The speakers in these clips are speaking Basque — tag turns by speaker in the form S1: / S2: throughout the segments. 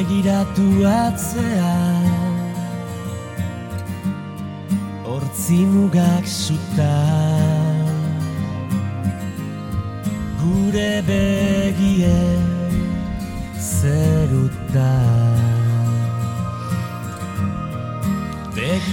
S1: begiratu atzea, hortzi mugak suta, gure begie zeruta.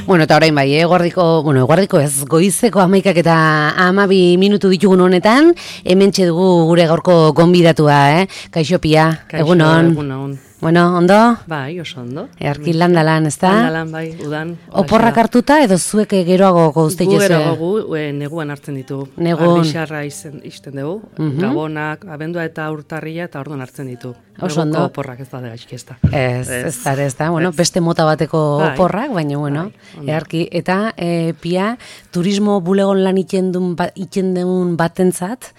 S2: Bueno, eta orain bai, eguardiko ez, goizeko 11 eta 12 minutu ditugun honetan, hementxe dugu gure gaurko gonbidatua, Kaixo Pia, egunon.
S3: Egunon.
S2: Bueno, ondo?
S3: Bai, oso ondo.
S2: Earki landalan, ez da?
S3: Landalan, bai, udan.
S2: Oporrak hartuta edo zuek geroago gozte joze?
S3: Geroago neguan hartzen ditu.
S2: Negun.
S3: Arbixarra izten dugu, gabonak, abendua eta urtarria eta orduan hartzen ditu.
S2: Oso ondo.
S3: Oporrak ez da gaizki ez da.
S2: Ez da, bueno, beste mota bateko oporrak, baina, bueno, earki. Eta, Pia, turismo bulegon lan itxendun batentzat,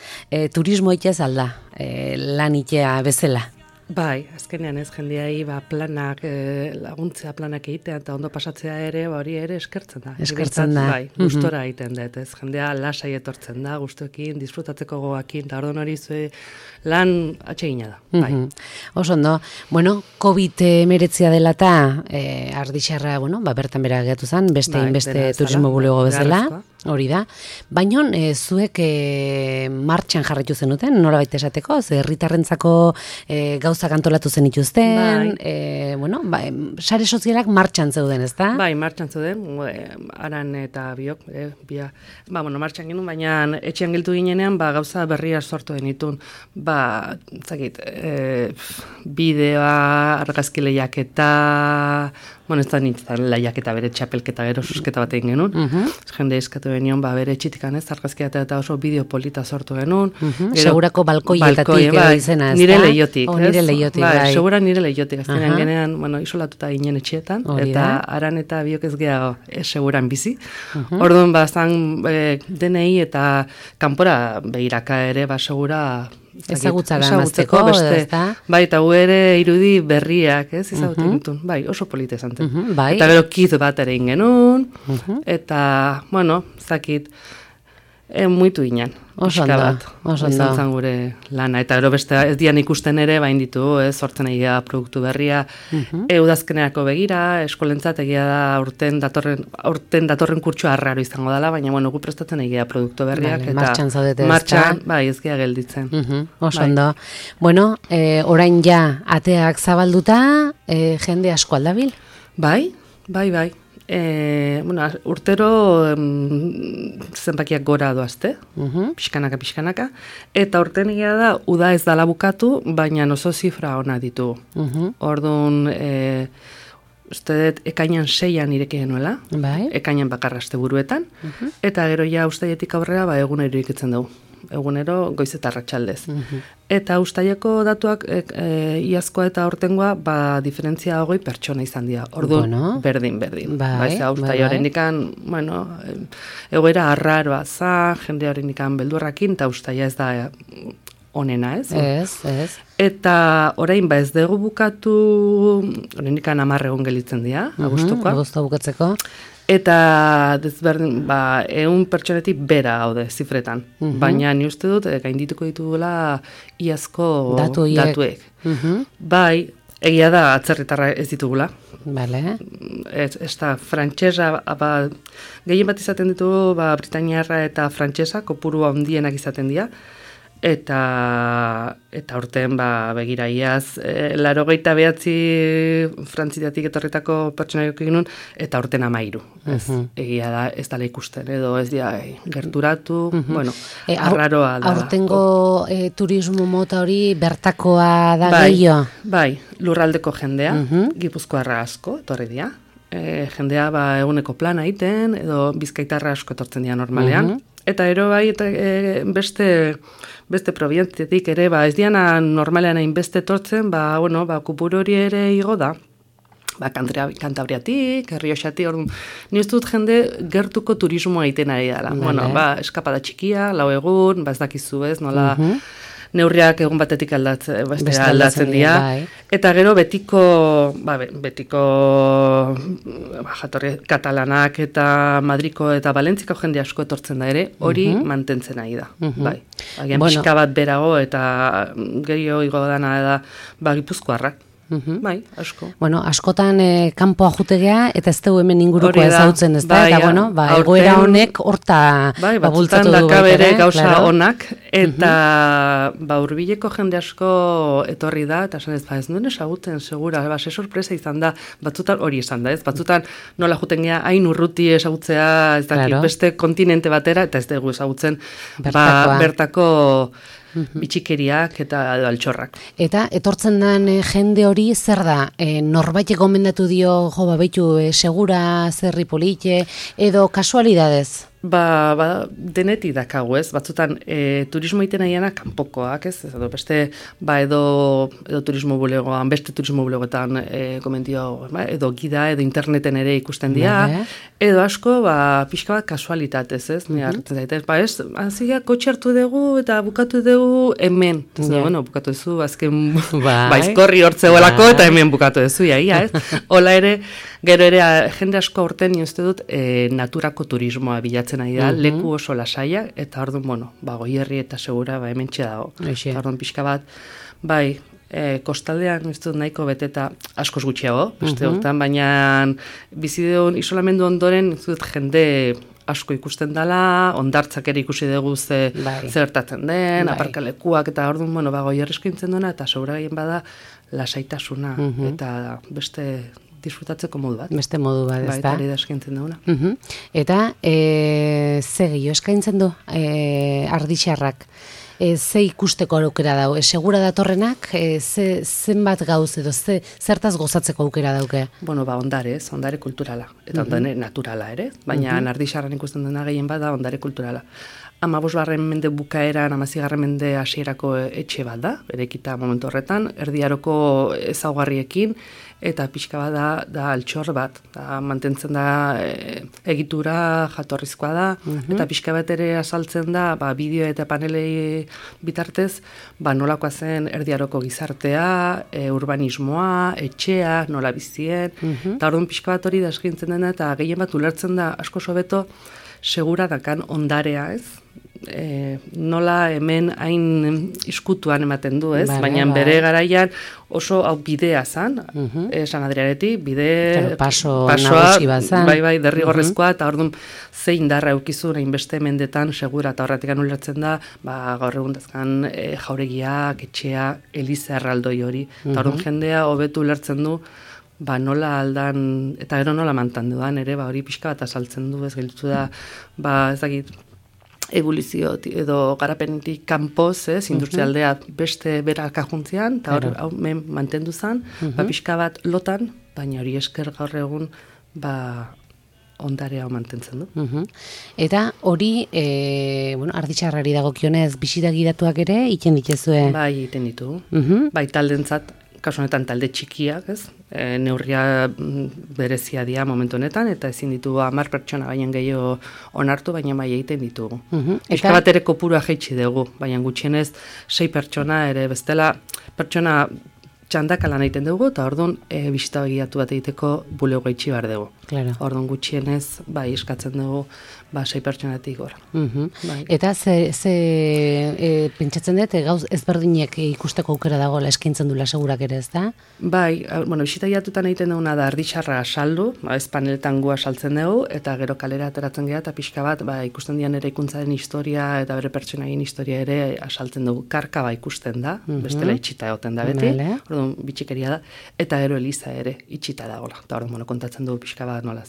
S2: turismo itxez alda, lan itxea bezala.
S3: Bai, azkenean ez jendeai planak, laguntzea planak egitea eta ondo pasatzea ere, hori ere eskertzen da.
S2: Eskertzen da.
S3: Bai, gustora egiten dut, ez jendea lasai etortzen da, gustuekin, disfrutatzeko gogakin, eta orduan hori lan atsegina da. Bai.
S2: Oso ondo, bueno, COVID-19 dela eta Ardixarra, bueno, bertan bera gehiatu zen, beste turismo bulego bezala, hori da. Baina zuek martxan jarraitu zenuten, nola baita esateko, herritarrentzako gauzak antolatu zen ituzten, bueno, sare sozialak martxan zeuden, ez da?
S3: Bai, martxan zeuden, Aran eta biok, bueno, martxan genuen, baina etxean giltu ginenean, gauza berria sortu denitun, zakit, bideoa, argazki lehiaketa, bueno, ez da nintzen lehiaketa bere txapelketa gero susketa bat egin genuen, jende eskatu benion, bere txitikan ez, argazkia eta oso bideo polita sortu genuen.
S2: Segurako balkoietatik izena, ez da?
S3: Nire lehiotik,
S2: Nire lehiotik, bai.
S3: Segura nire lehiotik, azkenean genean, bueno, isolatuta ginen etxeetan, eta Aran eta biok ez gehiago seguran bizi. Orduan, zan DNI eta kanpora behiraka ere, segura
S2: ezagutzara amazteko, ez da?
S3: Bai, eta gu ere irudi berriak, ez, ezagutzen ditun. Bai, oso polita izan zen. Eta gero kiz bat ere ingenun, eta, bueno, zakit, muitu ginen.
S2: Oso ondo.
S3: Izan zen gure lana. Eta gero beste ez dian ikusten ere, bain ditu, sortzen egia produktu berria, udazkenerako begira, eskolentzat egia da aurten datorren kurtsua arraro izango dela, baina bueno, gu prestatzen egia produktu berriak.
S2: Eta martxan zaudete ez da?
S3: Martxan, bai, ez gea gelditzen.
S2: Oso ondo. Bueno, orain ja, ateak zabalduta, jende asko aldabil?
S3: Bai. Bueno, urtero zenbakiak gora doazte, pixkanaka, eta urten egia da, uda ez dala bukatu, baina oso zifra ona ditu. Orduan, uste dut, ekainan 6an ireki genuela, ekainan bakarra asteburuetan, eta gero ja ustaietik aurrera egunero irekitzen dugu. Egunero goiz eta arratsaldez. Eta ustaileko datuak iazkoa eta aurtengoa diferentzia 20 pertsona izan dira. Orduan, berdin. Ustaila horrendikan, bueno, egoera arraroa za, jende horrendikan beldurrakin, eta ustaila ez da onena, ez?
S2: Ez.
S3: Eta orain ez dugu bukatu, horrendikan 10 egun gelitzen dira, agustukoa.
S2: Agustua bukatzeko.
S3: Eta desberdin, 100 pertsonetik bera gaude zifretan. Baina ni uste dut, gaindituko ditugula iazko datuek. Bai, egia da atzerritarra ez ditugula.
S2: Bale.
S3: Ez da, frantsesa, gehien bat izaten ditugu, Britainiarra eta frantsesa, kopuru handienak izaten dira. Eta urten begira iaz, 89 Frantziatik etorritako pertsonaik egin nun, eta urten 13. Egia da, ez dala ikusten, edo ez dira gerturatu, bueno, arraroa da.
S2: Aurtengo turismo mota hori bertakoa da gehiago?
S3: Bai, lurraldeko jendea, Gipuzkoarra asko, etorri dira. Jendea eguneko plana egiten, edo bizkaitarra asko etortzen dira normalean. Eta ero beste probientziatik ere, ez diana normalean hainbeste etortzen, kupuru hori ere igo da. Kantabriatik, Errioxatik, ni ez dut jende gertuko turismoa egiten ari dela. Bueno, eskapada txikia, 4 egun, ez dakizu ez, nola neurriak egun batetik aldatzen dira. Eta gero betiko jatorri katalanak eta Madriko eta Valentziko jende asko etortzen da ere, hori mantentzen ari da. Agian pixka bat berago eta gehiago igo dana da Gipuzkoarrak. Bai, asko.
S2: Bueno, askotan kanpoa jutegea eta ez dugu hemen inguruko ezautzen, ez da? Eta bueno, egoera honek horta bultzatu du
S3: bere gauza onak, eta hurbileko jende asko etorri da, eta esan ez duen esagutzen, segura, ze sorpresa izan da, batzutan hori izan da, ez? Batzutan nola juten gea, hain urruti esagutzea, ez dakit, beste kontinente batera, eta ez dugu esagutzen bertako bitxikeriak eta altxorrak.
S2: Eta etortzen den jende hori zer da? Norbait gomendatu dio, beitu, segura, zerri polite, edo kasualidadez?
S3: Denetik dakagu, ez? Batzutan, turismo iten nahiena kanpokoak, ez? Edo beste, edo turismo bulegoan, beste turismo bulegoetan komentio, edo gida, edo interneten ere ikusten dira, edo asko, pixka bat kasualitatez, ez? Ni hartzen zaitez, ez? Azia, kotxe hartu dugu eta bukatu dugu hemen. Bueno, bukatu duzu, azken baizkorri hortzegoelako eta hemen bukatu duzu, ia, ez? Hola ere, gero ere, jende asko horten, uste dut, naturako turismoa bilatzen ari da, leku oso lasaia, eta orduan, bueno, Goierri eta segura, hemen txea dago. Orduan pixka bat, kostaldean, ez dut nahiko beteta askoz gutxiago, beste hortan, baina bizideun isolamendu ondoren, ez dut jende asko ikusten dela, ondartzak ere ikusi dugu zertatzen den, aparkalekuak, eta orduan, bueno, Goierri eskintzen duena, eta segura gehien bada lasaitasuna, eta beste disfrutatzeko modu bat.
S2: Beste modu bat, ez da?
S3: Eta hori da eskaintzen dauna.
S2: Eta, ze gehiago eskaintzen du Ardixarrak? Ze ikusteko aukera dau? Segura datorrenak, zenbat gauz edo, zertaz gozatzeko aukera dauke?
S3: Bueno, ondare kulturala, eta ondare naturala ere, baina Ardixarran ikusten dena gehien bada ondare kulturala. 15. mende bukaeran, 16. mende hasierako etxe bat da, erekita momentu horretan, erdiaroko ezaugarriekin, eta pixka bat da altxor bat, mantentzen da egitura jatorrizkoa da, eta pixka bat ere azaltzen da, bideo eta panelei bitartez, nolakoa zen erdiaroko gizartea, urbanismoa, etxea, nola bizien, eta orduan pixka bat hori da eskintzen dena, eta gehien bat ulertzen da asko sobeto segura dakan ondarea, ez? Nola hemen hain iskutuan ematen du, ez? Baina bere garaian oso hau bidea zan, San Adriaretik,
S2: pasoa,
S3: derrigorrezkoa, eta orduan zein darra eukizun hainbeste mendetan segura, eta horretik ulertzen da, gaur egun dazkan jauregiak, etxea, eliza erraldoi hori, eta orduan jendea hobetu ulertzen du, nola aldan, eta gero nola mantan dudan, ere, hori pixka bat azaltzen du, ez gelditu da, ez dakit, evoluzio edo garapenetik kanpoz, industrialdea beste berak ajuntzean, eta hori mantendu zen, pixka bat lotan, baina hori esker gaur egun, ondarea mantentzen du.
S2: Eta hori, Ardixarrari dagokionez, bisita gidatuak ere, iten dituzue?
S3: Bai, iten ditu. Bai, taldentzat, kasu honetan talde txikiak, ez? Neurria berezia dira momentu honetan, eta ezin ditugu 10 pertsona baina gehiago onartu, baina bai egiten ditugu. Pixka bat ere kopurua jaitsi dugu, baina gutxienez 6 pertsona ere bestela pertsona txandaka lan egiten dugu, eta orduan bisita begiratu bat egiteko bulego gaitxi behar dugu. Orduan gutxienez, eskatzen dugu 6 pertsonatik gora.
S2: Eta pentsatzen dut, gauz ezberdinek ikusteko aukera dagoela eskaintzen dula segurak ere, ez da?
S3: Bai, bisita egitutan egiten duguna da Ardixarra saldu, ez paneletan gua saltzen dugu, eta gero kalera ateratzen gara, eta pixka bat, ikusten dian ere ikuntzaren historia, eta bere pertsonaien historia ere asaltzen dugu. Karka ikusten da, bestela itxita egoten da beti, orduan bitxikeria da, eta gero eliza ere itxita dagoela. Eta orduan kontatzen dugu pixka bat nola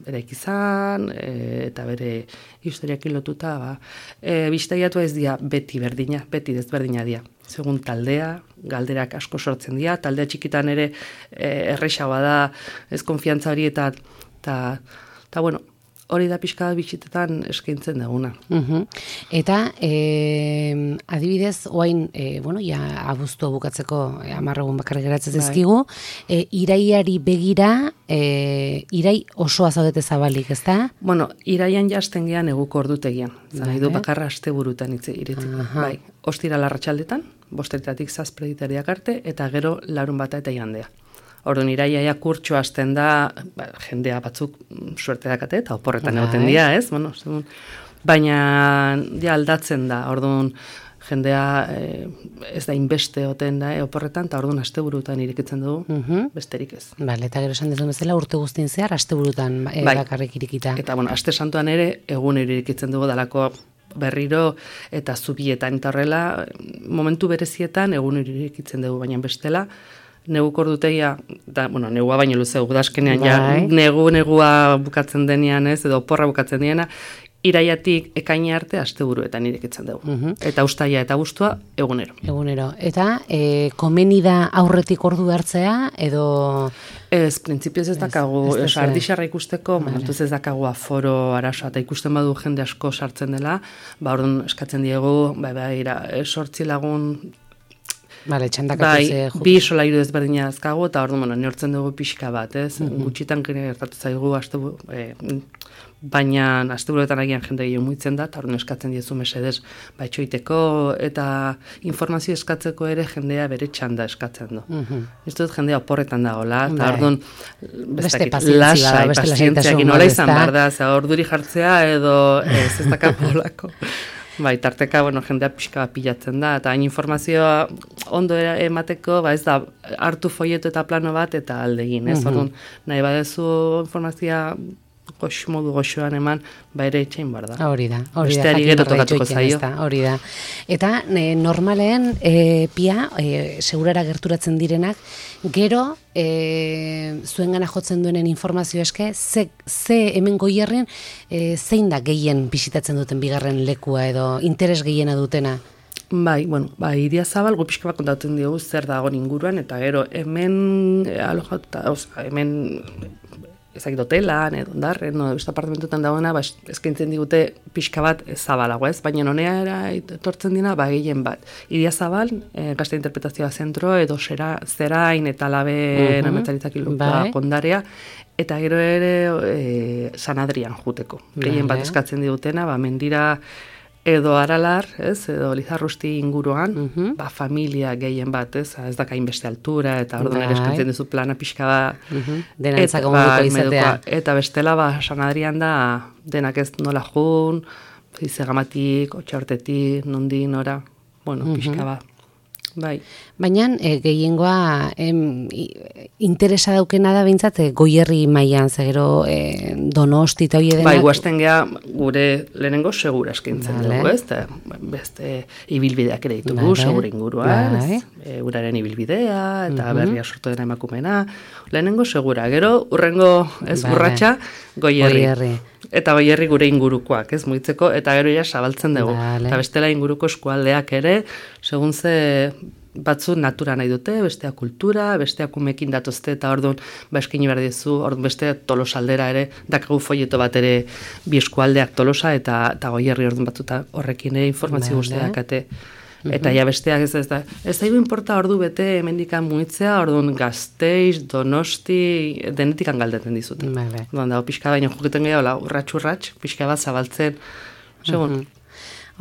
S3: eraiki izan, eta bere historiakin lotuta, bisita egatu ez dira beti berdina, beti desberdina dira. Segun taldea, galderak asko sortzen dira, taldea txikitan ere errexagoa da, ez konfiantza hori, eta bueno, hori da pixka bat bisitetan eskaintzen duguna.
S2: Eta, adibidez, oain, abuztua bukatzeko 10 egun bakarrik geratzen zizkigu, iraiari begira, irai osoa zaudete zabalik, ez da?
S3: Bueno, iraian jazten gean eguko ordutegian. Zaidu bakarra aste burutan iritzen. Bai, ostira larratxaldetan, 5:00 7:00 arte, eta gero larun bata eta igandea. Orduan, iraia kurtxo hasten da, jendea batzuk suerte dakate, eta oporretan egoten dira, ez? Baina, aldatzen da, orduan, jendea ez da inbeste oten da, oporretan, eta orduan asteburutan irekitzen dugu, besterik ez.
S2: Bale, eta gero esan dezun bezala urte guztien zehar, asteburutan bakarrik irikita.
S3: Eta, aste santuan ere, egun irekitzen dugu dalako berriro eta zubietan, eta horrela, momentu berezietan, egun irekitzen dugu, baina bestela, neguk ordutegia, negua baino luze, udazkenean, negua bukatzen denean ez, edo oporra bukatzen denean, iraiatik ekaina arte asteburuetan irekitzen dugu. Eta uztaila eta abuztua egunero.
S2: Eta komeni da aurretik ordu hartzea, edo...
S3: Ez, printzipioz ez dakagu, ardixarra ikusteko, momentuz ez dakagu aforo arazoa, eta ikusten badu jende asko sartzen dela, orduan eskatzen diegu, sortzi lagun, bi solairu ezberdina azkagu, eta orduan neortzen dugu pixka bat, ez? Gutxitan gertatu zaigu, baina asteburuetan agian jende gehiago muitzen da, eta orduan eskatzen diezu mesedez baitxoiteko, eta informazio eskatzeko ere jendea bere txanda eskatzen du. Ez dut jendea oporretan dagoela, eta orduan lasai, pazientziakin nola izan behar da, orduri jartzea edo ez dakapolako. Tarteka, jendea pixka pilatzen da, eta hain informazioa ondo emateko, ez da hartu folieto eta plano bat eta aldegin, ez? Orduan, nahi badezu informazioa modu goxoan eman, ere itxain bar da.
S2: Hori da.
S3: Besteari gero tokatuko zaio.
S2: Hori da. Eta normalen, pia, segurara gerturatzen direnak, gero, zuengana jotzen duenen informazio eske, ze hemen Goierrien, zein da gehien bisitatzen duten bigarren lekua edo interes gehiena dutena?
S3: Idiazabal pixka bat kontatzen diogu zer dagoen inguruan, eta gero hemen hemen ezakit hotelan, edo ondarren, beste apartamentuetan dagoena, eskaintzen digute pixka bat zabalago, ez? Baina honera etortzen dina, gehien bat. Idiazabal, gazte interpretazioa zentro, edo zerain eta labe nametzaritzak kondarea, eta gero ere San Adrian juteko. Gehien bat eskatzen digutena, mendira edo Aralar, edo Lizarrusti inguruan, familia gehien bat, ez dakain beste altura, eta orduan ere eskatzen duzu plana pixka bat,
S2: denantzako moduko izatea.
S3: Eta bestela, San Adrian da, denak ez nola jun, izegamatik, otxaurtetik, nondi, nora, pixka bat.
S2: Baina gehiengoa interesa daukena da bintzat Goierri mailan, zegero Donosti eta hori denak.
S3: Guazten geha gure lehenengo segura eskaintzen dugu, ez? Beste ibilbideak ere ditugu, segura inguruan, uraren ibilbidea, eta berria sortu dena emakumena. Lehenengo segura, gero urrengo ez burratxa Goierri. Eta Goierri gure ingurukoak, ez muitzeko, eta gero ja zabaltzen dugu. Eta bestela inguruko eskualdeak ere, segun ze batzu natura nahi dute, bestea kultura, besteak umekin datozte, eta orduan eskaini behar dizu, orduan beste Tolosaldera ere, dakagu folieto bat ere bi eskualdeak Tolosa, eta Goierri orduan batzuta horrekin informazio guztia dakate. Eta ja besteak ez daigu inporta ordu bete hemendikan muitzea, orduan Gasteiz, Donosti, denetikan galdeten dizute. Dago pixka baino joketen gehiago, urratx, pixka bat zabaltzen, segun.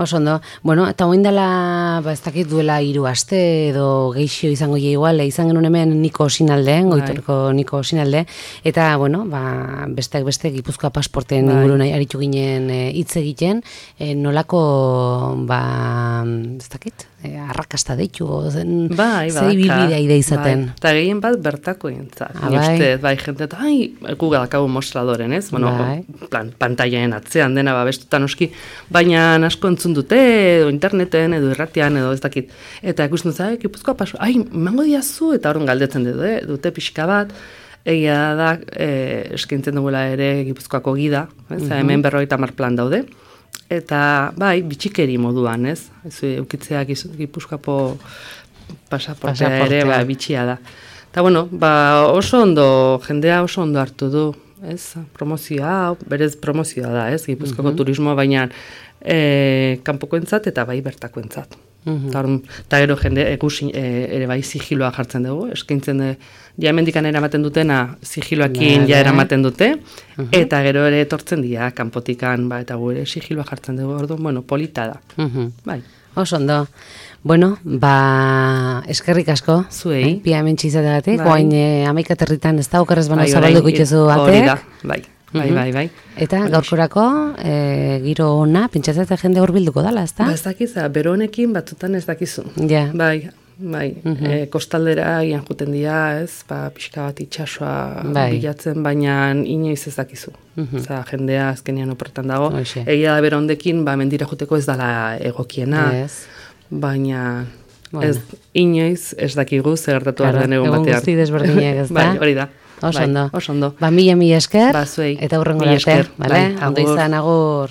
S2: Oso ondo. Eta oin dela, ez dakit duela 3 aste edo geixio izango igual, izan genuen hemen Niko Sinalde, Goitorko Niko Sinalde, eta, besteak beste Gipuzkoa pasporten ingurun aritu ginen hitz egiten, nolako, ez dakit, arrakasta deitu, ze ibilbidea ide izaten.
S3: Eta gehien bat bertako entzat. Jente, gu gadakagu mostradoren, ez? Pantaiaen atzean dena babestutan oski, baina asko entzun dute, edo interneten, edo irratian, edo ez dakit. Eta ikusten dut, Gipuzkoa paso, mango diazu, eta horren galdetzen dute pixka bat, egia da, eskaintzen duela ere Gipuzkoako gida, hemen 50 plan daude, eta bitxikeri moduan, ez? Eukitzeak Gipuzkoako pasaportea ere bitxia da. Eta oso ondo, jendea oso ondo hartu du, ez? Promozioa, berez promozioa da, ez? Gipuzkoako turismoa, baina kanpokoentzat eta bertakoentzat. Eta gero jende ere sigiloa jartzen dugu, eskaintzen hemendikan eramaten dutena sigiloakin eramaten dute, eta gero ere etortzen dira kanpotikan, eta gure sigiloa jartzen dugu, orduan, polita da.
S2: Oso ondo. Eskerrik asko.
S3: Zuei.
S2: Pia hemen txizategatik, oain 11 aterritan ez da, okerrez bano zabalduko itxezu batek.
S3: Hori da, Bai.
S2: Eta gaurkorako, giro ona, pentsatzen jende hurbilduko dala, ezta?
S3: Ba, ez dakiza, bero honekin batzutan ez dakizu.
S2: Ja.
S3: Bai, kostaldera gian juten dira, ez, pixka bat itxasoa bilatzen, baina inoiz ez dakizu. Jendea azkenean oportan dago. Egia da bero hondekin, mendira juteko ez dala egokiena, baina ez, inoiz ez dakigu zer gertatu arden egun batean.
S2: Egun guzti desberdinak, ez da?
S3: Bai, hori da.
S2: Oso ondo.
S3: Oso ondo.
S2: Mila esker,
S3: zuei.
S2: eta hurrengo arte, bale? Ondo izan, agur.